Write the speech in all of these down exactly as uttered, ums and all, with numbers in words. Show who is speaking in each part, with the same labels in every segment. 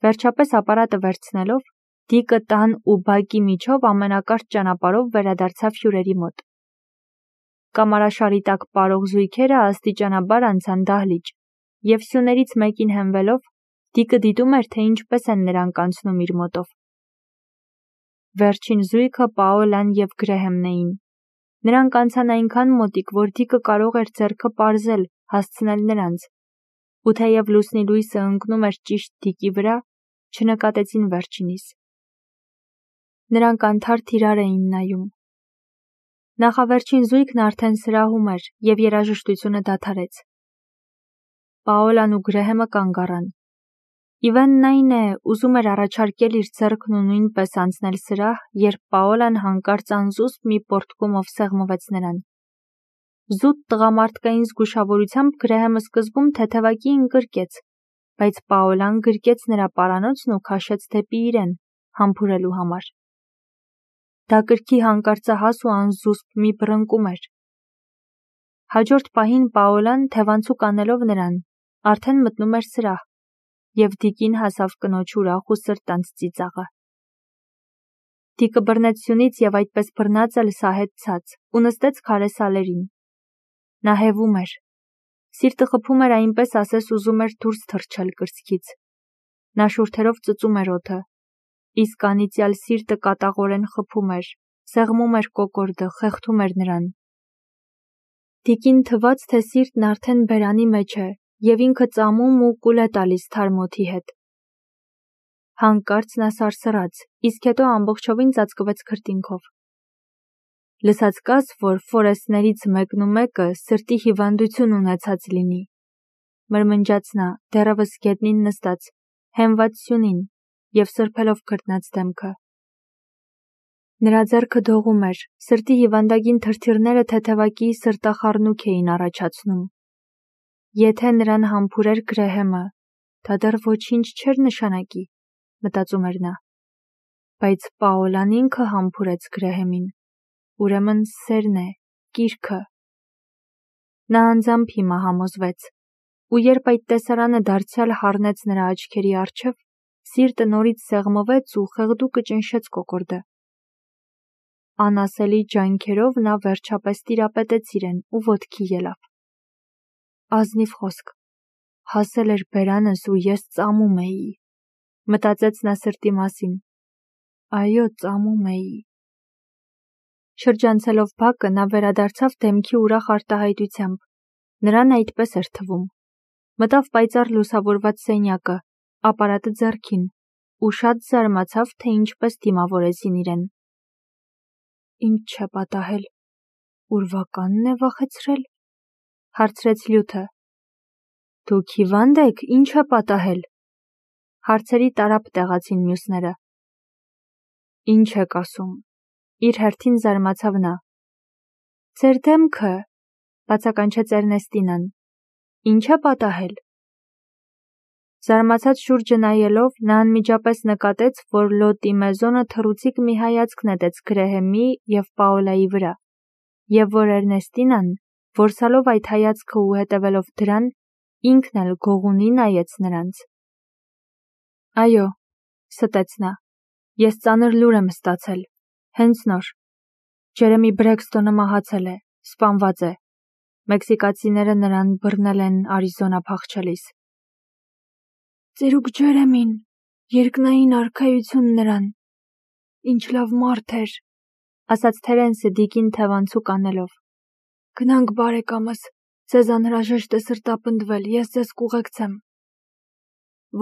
Speaker 1: Վերջապես ապարատը վերցնելով, Դիկը տան ու բակի միջով ամենակարճ ճանապարհով վերադարձավ հյուրերի մոտ։ Կամարաշարի տակ պարող զույգերը աստիճանաբար անցան դահլիճ, և սյուներից մեկին հենվելով, Դիկը դիտում էր, թե ինչպես են նրանք անցնում իր մոտով։ Վերջին զույգը Պաոլան և Գրեհեմն էին։ Նրանք անցան այնքան մոտիկ, որ Դիկը կարող էր ձեռքը պարզել, հասցնել նրանց, ու թեև լուսնի լույսը ընկնում էր ճիշտ Դիկի վրա, չնկատեցին վերջինիս։ Նրանք անթարթ իրար էին նայում։ Նախավերջին զույգն արդեն սրահում էր, և երաժշտությունը դադարեց։ Պաոլան ու Գրեհեմը կանգ առան։ Իվենն այն է, ուզում էր առաջարկել իր ձեռքն ու նույնպես անցնել սրահ, երբ Պաոլան հանկարծ անզուսպ մի պոռթկումով սեղմվեց նրան։ Զուտ տղամարդկային զգուշավորությամբ Գրեհեմը սկզբում թեթևակի ընկրկեց, բայց Պաոլան գրկեց նրա պարանոցն ու քաշեց դեպի իրեն, համբուրելու համար։ Դա կրքի հանկարծահաս ու անզուսպ մի բռնկում էր։ Հաջորդ պահին Պաոլան, թևանցուկ անելով նրան, արդեն մտնում էր սրահ, և Դիկին հասավ կնոջ ուրախ ու սրտանց ծիծաղը։ Դիկը բռնեց սյունից և այդպես բռնած էլ սահեց ցած ու նստեց քարե սալերին։ Նա հևում էր։ Սիրտը խփում էր, այնպես ասես ուզում էր դուրս թռչել կրծքից։ Նա շուրթերով ծծում էր օդը, իսկ անիծյալ սիրտը կատաղորեն խփում էր, սեղմում էր կոկորդը, խեղդում էր նրան։ Դիկին թվաց, թե սիրտն արդեն բերանի մեջ է, և ինքը ծամում ու կուլ է տալիս թարմ օդի հետ։ Հանկարծ նա սարսռաց, իսկ հետո ամբողջովին ծածկվեց քրտինքով։ Լսած կաս, որ ֆորեստներից մեկն ու մեկը սրտի հիվանդություն ունեցած լինի, մրմնջաց նա, դեռևս գետնին նստած, հենված սյունին և սրբելով քրտնած դեմքը։ Նրա ձեռքը դողում էր, սրտի հիվանդագին թրթիռները թեթևակի սրտախառնուրդ էին առաջացնում։ Եթե նրան համբուրեր Գրեհեմը, դա դեռ ոչինչ չէր նշանակի, մտածում էր նա։ Բայց Պաոլան ինքը համբուրեց Գրեհեմին, ուրեմն սերն է, կիրքը։ Նա անձամբ հիմա համոզվեց, ու երբ այդ տեսարանը դարձյալ հառնեց նրա աչքերի առջև, սիրտը նորից սեղմվեց ու խեղդուկը ճնշեց կոկորդը։ Անասելի ջանքերով նա վերջապես տիրապետեց իրեն ու ոտքի ելավ։ Ազնիվ խոսք, հասել էր բերանս ու ես ծամում էի, մտածեց նա սրտի մասին։ Այո, ծամում էի։ Շրջանցելով բակը, նա վերադարձավ դեմքի ուրախ արտահայտությամբ։ Նրան այդպես էր թվում։ Մտավ պայծառ լուսավորված սենյակը, ապարատը ձեռքին, ու շատ զարմացավ, թե ինչպես դիմավորեցին իրեն։ Ինչ չէ պատահել, ուրվականն է վախեցրել, հարցրեց լյութը։ Դուք հիվա՞նդ եք, ինչ է պատահել, հարցերի տարափ տեղացին մյուսները։ Ինչ եք ասում, իր հերթին զարմացավ նա։ Ձեր դեմքը, բացականչեց Էրնեստինան, ինչ է պատահել։ Զարմացած շուրջը նայելով, նա անմիջապես նկատեց, որ Լոտի Մեզոնը թռուցիկ մի հայացք նետեց Գրեհեմի և Պաոլայի վրա, և որ Էրնեստինան, որսալով այդ հայացքը ու հետևելով դրան, ինքն էլ գողունի նայեց նրանց։ Այո, ստեց նա, ես ծանր լուր եմ ստացել, հենց նոր։ Ջերեմի Բրեքսթոնը մահացել է, սպանված է։ Մեքսիկացիները նրան բռնել են Արիզոնա փախչելիս։ Ծերուկ Ջերեմին, երկնային արքայություն նրան, ինչ լավ մարդ էր, ասաց Թերենսը Դիկին թևանցուկ անելով։ Գնանք բարեկամս, ձեզ անհրաժեշտ է սրտապնդվել, ես ձեզ կուղեկցեմ։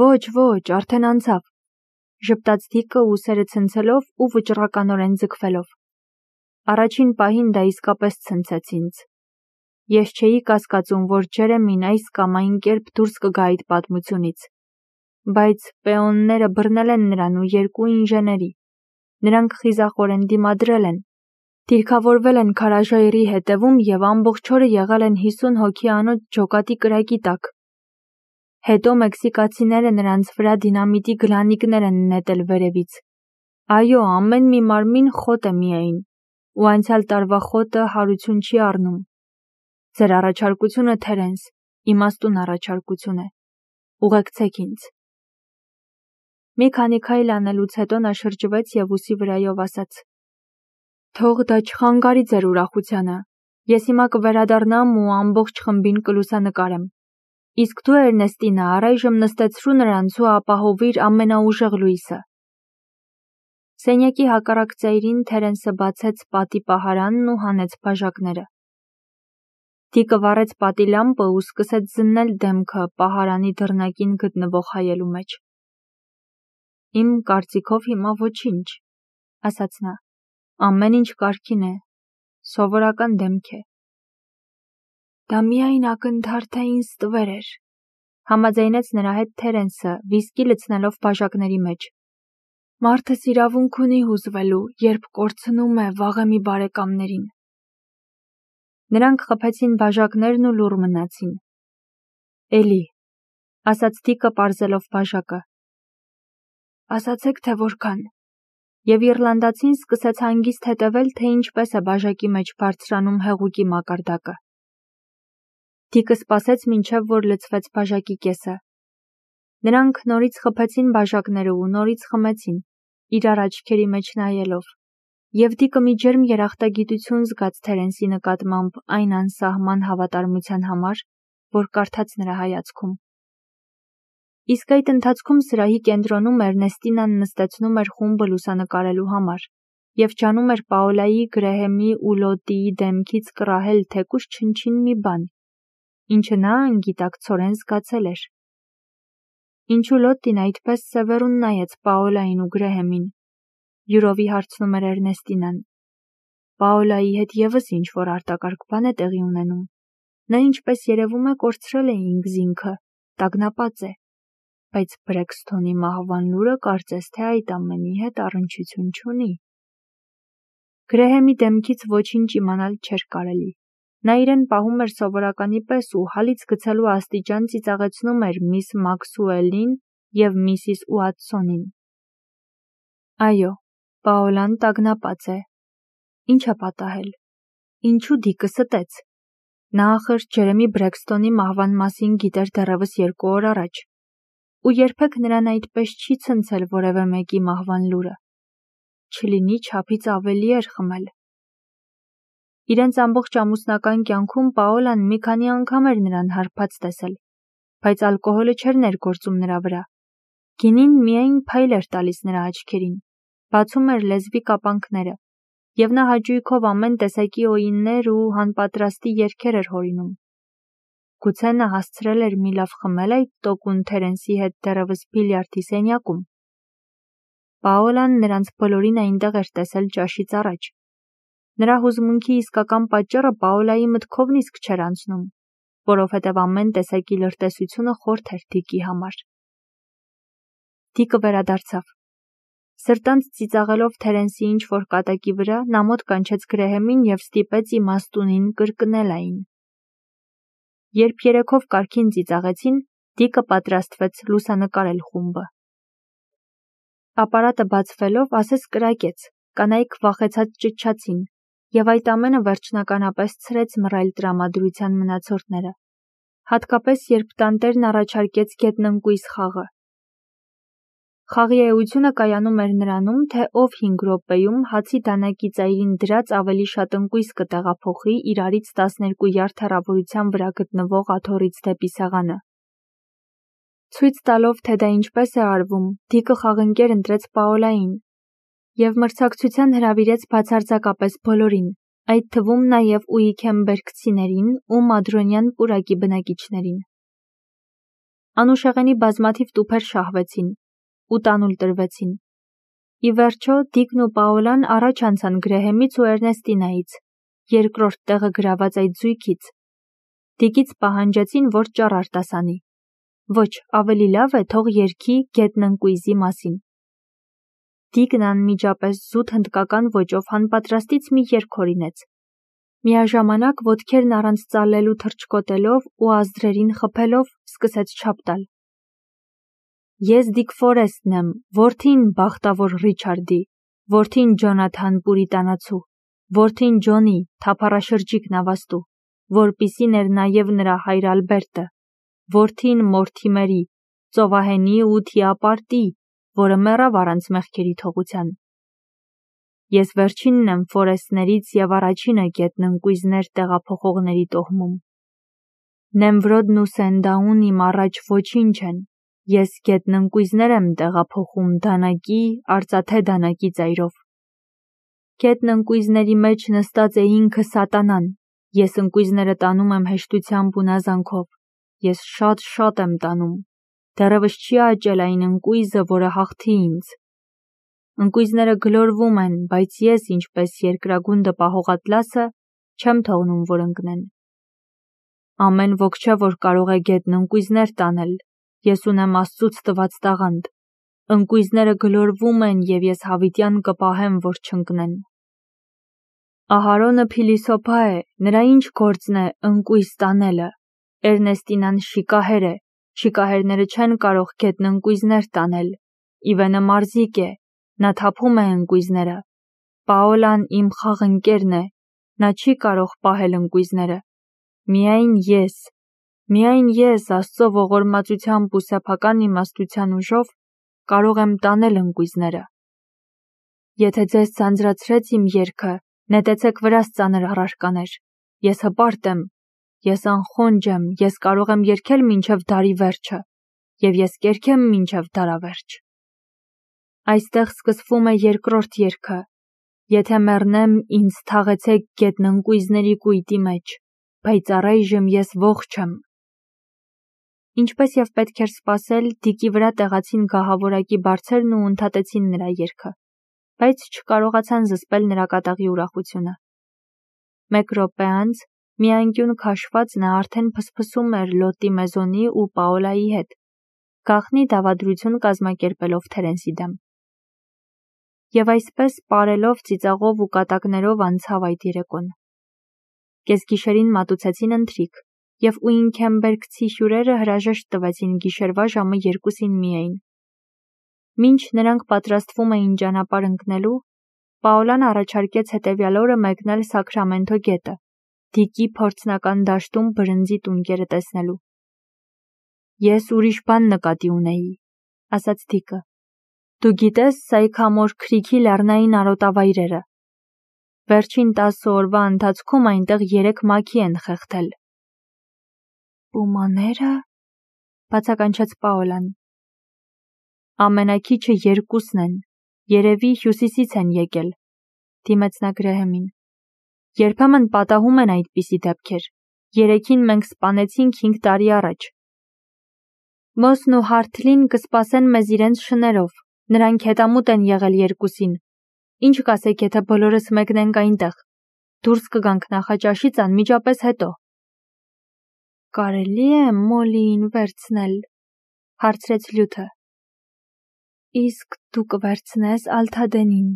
Speaker 1: Ոչ, ոչ, արդեն անցավ, ժպտաց Դիկը ուսերը ցնցելով ու վճռականորեն ձգվելով։ Առաջին պահին դա իսկապես ցնցեց ինձ։ Ես չէի կասկածում, որ Ջերեմին այս կամ այն կերպ դուրս կգա այդ պատմությունից։ Բայց պեոնները բռնել են նրան ու երկու ինժեների։ Նրանք խիզախորեն դիմադրել են, դիրքավորվել են քարաժայռի հետևում և ամբողջ օրը եղել են հիսուն հոգի անոց ջոկատի կրակի տակ։ Հետո մեքսիկացիները նրանց վրա դինամիտի գլանիկներ են նետել վերևից։ Այո, ամեն մի մարմին խոտ է միայն, ու անցյալ տարվա խոտը հարություն չի առնում։ Ձեր առաջարկությունը, Թերենս, իմաստուն առաջարկություն է։ Ուղեկցեք ինձ։ Մի քանի քայլ անելուց հետո նա շրջվեց և ուսի վրայով ասաց. «Թող դա չխանգարի ձեր ուրախությանը, ես հիմա կվերադառնամ ու ամբողջ խմբին կլուսանկարեմ, իսկ դու Էրնեստինա առայժմ նստեցրու նրանց ու ապահովիր ամենաուժեղ լույսը»։ Սենյակի հակառակ ծայրին Թերենսը բացեց պատի պահարանն ու հանեց բաժակները։ Դիկը վառեց պատի լամպը ու սկսեց զննել դեմքը պահարանի դռնակին գտնվող հայելու մեջ։ «Իմ կարծիքով հիմա ոչինչ», ասաց նա, «ամեն ինչ կարգին է, սովորական դեմք է»։ «Դա միայն ակնթարթային ստվեր էր», համաձայնեց նրա հետ Թերենսը, վիսկի լցնելով բաժակների մեջ։ «Մարդս իրավունք ունի հուզվելու, երբ կորցնում է վաղեմի բարեկամներին»։ Նրանք խփեցին բաժակներն ու լուռ մնացին։ «Էլի», ասաց Դիկը պարզելով բաժակը։ «Ասացեք, թե որքան»։ Եվ իռլանդացին սկսեց հանգիստ հետևել, թե ինչպես է բաժակի մեջ բարձրանում հեղուկի մակարդակը։ Դիկը սպասեց, մինչև որ լցվեց բաժակի կեսը։ Նրանք նորից խփեցին բաժակները ու նորից խմեցին, իրար աչքերի մեջ նայելով, և Դիկը մի ջերմ երախտագիտություն զգաց Թերենսի նկատմամբ այն անսահման հավատարմության համար, որ կարդաց նրա հայացքում։ Իսկ այդ ընթացքում սրահի կենտրոնում Էրնեստինան նստեցնում էր խումբը լուսանկարելու համար և ջանում էր Պաոլայի, Գրեհեմի ու Լոտիի դեմքից կռահել թեկուզ չնչին մի բան, ինչը նա անգիտակցորեն զգացել էր։ Ինչու Լոտին այդպես սևեռուն նայեց Պաոլային ու Գրեհեմին, յուրովի հարցնում էր Էրնեստինան։ Պաոլայի հետ ևս ինչ-որ արտակարգ բան է տեղի ունենում։ Նա ինչպես երևում է կորցրել է ինքզինքը, տագնապած է, բայց Բրեքսթոնի մահվան լուրը կարծես թե այդ ամենի հետ առնչություն չունի։ Գրեհեմի դեմքից ոչինչ իմանալ չէր կարելի։ Նա իրեն պահում էր սովորականի պես ու հալից գցելու աստիճան ծիծաղեցնում էր միս Մաքսուելին և միսիս Ուատսոնին։ Այո, Պաոլան տագնապած է։ Ինչ է պատահել։ Ինչու Դիկը ստեց։ Նա ախր Ջերեմի Բրեքսթոնի մահվան մասին գիտեր դեռևս երկու օր առաջ, ու երբեք նրան այդպես չի ցնցել որևէ մեկի մահվան լուրը։ Չլինի չափից ավելի էր խմել։ Իրենց ամբողջ ամուսնական կյանքում Պաոլան մի քանի անգամ էր նրան հարբած տեսել, բայց ալկոհոլը չէր ներգործում նրա վրա։ Գինին միայն փայլ էր տալիս նրա աչքերին, բացում էր լեզվի կապանքները, և նա հաճույքով ամեն տեսակի օյիններ ու հանպատրաստի երգեր էր հորինում։ Գուցե նա հասցրել էր մի լավ խմել այդ տոկուն Թերենսի հետ դեռևս բիլիարդի սենյակում։ Պաոլան նրանց բոլորին այնտեղ էր տեսել ճաշից առաջ։ Նրա հուզմունքի իսկական պատճառը Պաոլայի մտքովն իսկ չէր անցնում, որովհետև ամեն տեսակի լրտեսությունը խորթ էր Դիկի համար։ Դիկը վերադարձավ։ Սրտանց ծիծաղելով Թերենսի ինչ-որ կատակի վրա, նա մոտ կանչեց Գրեհեմին և ստիպեց իմաստունին կրկնել այն։ Երբ երեքով կարգին ծիծաղեցին, Դիկը պատրաստվեց լուսանկարել խումբը։ Ապարատը բացվելով ասես կրակեց, կանայք վախեցած ճչացին, և այդ ամենը վերջնականապես ցրեց մռայլ տրամադրության մնացորդները, հատկապես երբ տանտերն առաջարկեց գետնընկույզ խաղը։ Խաղի էությունը կայանում էր նրանում, թե ով հինգ րոպեում հացի դանակի ծայրին դրած ավելի շատ ընկույզ կտեղափոխի իրարից տասներկու յարդ հեռավորության վրա գտնվող աթոռից դեպի սեղանը։ Ցույց տալով, թե դա ինչպես է արվում, Դիկը խաղընկեր ընտրեց Պաոլային և մրցակցության հրավիրեց բացարձակապես բոլորին, այդ թվում նաև ուիքեմբերգցիներին ու մադրոնյան պուրակի բնակիչներին։ Անուշեղենի բազմաթիվ տուփեր շահվեցին ու տանուլ տրվեցին։ Ի վերջո Դիկն ու Պաոլան առաջ անցան Գրեհեմից ու Էրնեստինայից, երկրորդ տեղը գրաված այդ զույգից։ Դիկից պահանջեցին, որ ճառ արտասանի։ Ոչ, ավելի լավ է թող երգի գետնընկույզի մասին։ Դիկն անմիջապես զուտ հնդկական ոճով հանպատրաստից մի երգ հորինեց։ Միաժամանակ ոտքերն առանց ծալելու թռչկոտելով ու ազդրերին խփելով սկսեց չափ տալ։ Ես Դիկ Ֆորեսթն եմ, որդին բախտավոր Ռիչարդի, որդին Ջոնաթան Պուրիտանացու, որդին Ջոնի, թափառաշրջիկ նավաստու, որպիսին էր նաև նրա հայր Ալբերտը, որդին Մորթիմերի, ծովահենի ու թիապարտի, որը մեռավ առանց մեղքերի թողության։ Ես վերջինն եմ Ֆորեսներից և առաջինը գետն ընկույզներ տեղափոխողների տոհմում։ Նեմվրոդն ու Սենդաուն իմ առաջ ոչինչ են, ես գետն ընկույզներ եմ տեղափոխում դանակի, արծաթե դանակի ծայրով։ Գետն ընկույզների մեջ նստած է ինքը սատանան, ես ընկույզները տանում եմ հեշտությամբ ու նազանքով, ես շատ-շատ եմ տանում, դեռևս չի աճել այն ընկույզը, որը հաղթի ինձ։ Ընկույզները գլորվում են, բայց ես, ինչպես երկրագունդը պահող ատլասը, չեմ թողնում, որ ընկնեն։ Ամեն ոք չէ, որ կարող է գետն ընկույզներ տանել, ես ունեմ Աստծուց տված տաղանդ, ընկույզները գլորվում են և ես հավիտյան կպահեմ, որ չընկնեն։ Ահարոնը փիլիսոփա է, նրա ինչ գործն է ընկույզ տանելը, Էրնեստինան շիկահեր է, շիկահերները չեն կարող գետն ընկույզներ տանել, Իվենը մարզիկ է, նա թափում է ընկույզները, Պաոլան իմ խաղընկերն է, նա չի կարող պահել ընկույզները, միայն ես, միայն ես Աստծո ողորմածությամբ ու սեփական իմաստության ուժով կարող եմ տանել ընկույզները։ Եթե ձեզ ձանձրացրեց իմ երգը, նետեցեք վրաս ծանր առարկաներ, ես հպարտ եմ, ես անխոնջ եմ, ես կարող եմ երգել մինչև դարի վերջը, և ես կերգեմ մինչև դարավերջ։ Այստեղ սկսվում է երկրորդ երգը, եթե մեռնեմ, ինձ թաղեցեք գետն ընկույզների կույտի մեջ, բայց առայժմ ես ողջ եմ։ Ինչպես և պետք էր սպասել, Դիկի վրա տեղացին գահավորակի բարձերն ու ընդհատեցին նրա երգը, բայց չկարողացան զսպել նրա կատաղի ուրախությունը։ Մեկ րոպե անց, մի անկյուն քաշված նա արդեն փսփսում էր Լոտի Մեզոնի ու Պաոլայի հետ, գաղտնի դավադրություն կազմակերպելով Թերենսի դեմ։ Եվ այսպես պարելով, ծիծաղով ու կատակներով անցավ այդ երեկոն։ Կեսգիշերին մատուցեցին ընթրիք, և ուինքեմբերգցի հյուրերը հրաժեշտ տվեցին գիշերվա ժամը երկուսին միայն։ Մինչ նրանք պատրաստվում էին ճանապարհ ընկնելու, Պաոլան առաջարկեց հետևյալ օրը մեկնել Սաքրամենթո գետը, Դիկի փորձնական դաշտում բրնձի տունկերը տեսնելու։ Ես ուրիշ բան նկատի ունեի, ասաց Դիկը։ Դու գիտես Սայքամոր Քրիքի լեռնային արոտավայրերը։ Վերջին տասը օրվա ընթացքում այնտեղ երեք մաքի են խեղդել։ Պումանե՞րը, բացականչեց Պաոլան։ Ամենաքիչը երկուսն են, երևի հյուսիսից են եկել, դիմեց նա Գրեհեմին։ Երբեմն պատահում են այդպիսի դեպքեր, երեքին մենք սպանեցինք հինգ տարի առաջ։ Մոսն ու Հարթլին կսպասեն մեզ իրենց շներով, նրանք հետամուտ են եղել երկուսին, ինչ կասեք, եթե բոլորս մեկնենք այնտեղ, դուրս կգանք նախաճաշից անմիջապես հետո։ Կարելի է Մոլիին վերցնել, հարցրեց Լյութը։ Իսկ դու կվերցնես Ալթադենին,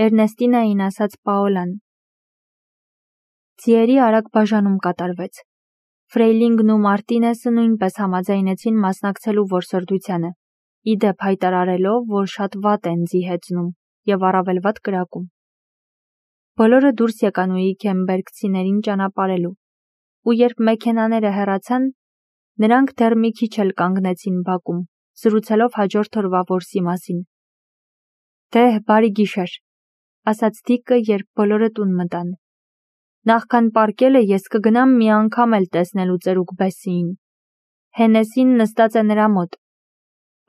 Speaker 1: Էրնեստինային ասաց Պաոլան։ Ձիերի արագ բաժանում կատարվեց։ Ֆրեյլինգն ու Մարտինեսը նույնպես համաձայնեցին մասնակցելու որսորդությանը, ի դեպ հայտարարելով, որ շատ վատ են ձի հեծնում և առավել վատ կրակում։ Բոլորը դուրս եկան ուինքեմբերգցիներին ճանապարհելու, ու երբ մեքենաները հեռացան, նրանք դեռ մի քիչ էլ կանգնեցին բակում, զրուցելով հաջորդ օրվա որսի մասին։ Դե, բարի գիշեր, ասաց Դիկը, երբ բոլորը տուն մտան։ Նախքան պառկելը ես կգնամ մի անգամ էլ տեսնելու ծերուկ Բեսսիին։ Հենեսին նստած է նրա մոտ։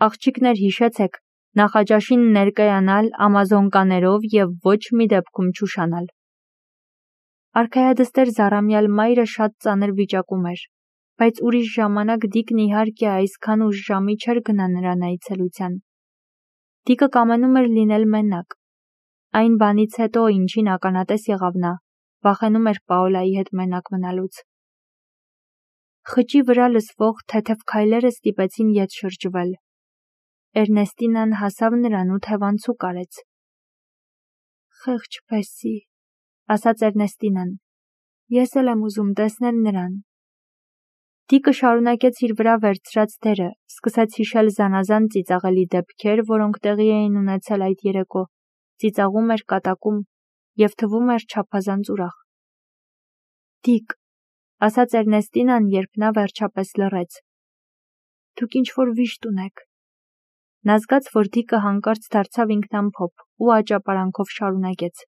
Speaker 1: Աղջիկներ, հիշեցեք, նախաճաշին ներկայանալ ամազոնկաներով և ոչ մի դեպքում չուշանալ։ Արքայադստեր Զարամյալ մայրը շատ ծանր վիճակում էր, բայց ուրիշ ժամանակ Դիկն իհարկե այսքան ուշ ժամի չէր գնա նրան այցելության։ Դիկը կամենում էր լինել մենակ։ Այն բանից հետո, ինչին ականատես եղավ նա, վախենում էր Պաոլայի հետ մենակ մնալուց։ Խճի վրա լսվող թեթև քայլերը ստիպեցին ետ շրջվել։ Էրնեստինան հասավ նրան ու թևանցուկ արեց։ Խեղճ Բեսսի, ասաց Էրնեստինան, ես էլ եմ ուզում տեսնել նրան։ Դիկը շարունակեց իր վրա վերցրած դերը, սկսեց հիշել զանազան ծիծաղելի դեպքեր, որոնք տեղի էին ունեցել այդ երեկո, ծիծաղում էր, կատակում և թվում էր չափազանց ուրախ։ Դիկ, ասաց Էրնեստինան, երբ նա վերջապես լռեց։ Դուք ինչ-որ վիշտ ունեք։ Նա զգաց, որ Դիկը հանկարծ դարձավ ինքնամփոփ ու աճապարանքով շարունակեց.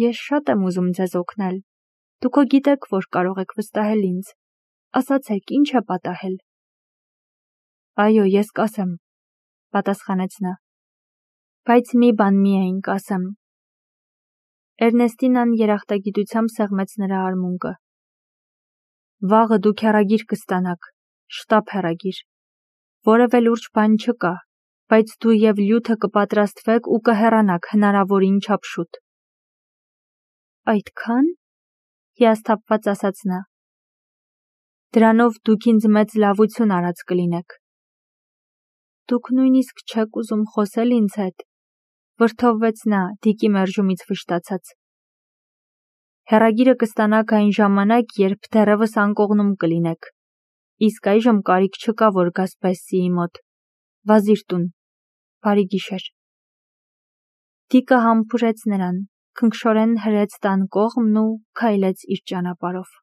Speaker 1: Ես շատ եմ ուզում ձեզ օգնել։ Դուք գիտեք, որ կարող եք վստահել ինձ։ Ասացեք, ինչ է պատահել։ Այո, ես կասեմ, պատասխանեց նա։ Բայց մի բան միայն կասեմ։ Էրնեստինան երախտագիտությամբ սեղմեց նրա արմունկը։ Վաղը դուք հեռագիր կստանաք, շտապ հեռագիր։ Որևէ լուրջ բան չկա, բայց դու եւ Լյութը կպատրաստվեք ու կհեռանաք հնարավորին չափ շուտ։ Այդքան, հիասթափված ասաց նա։ Դրանով դուք ինձ մեծ լավություն արած կլինեք։ Դուք նույնիսկ չեք ուզում խոսել ինձ հետ, վրդովվեց նա, Դիկի մերժումից վշտացած։ Հեռագիրը կստանաք այն ժամանակ, երբ դեռևս անկողնում կլինեք։ Իսկ այժմ կարիք չկա, որ գաս Բեսսիի մոտ։ Վազիր տուն։ Բարի գիշեր։ Դիկը համբուրեց նրան, քնքշորեն հրեց տան կողմն ու քայլեց իր ճանապարհով։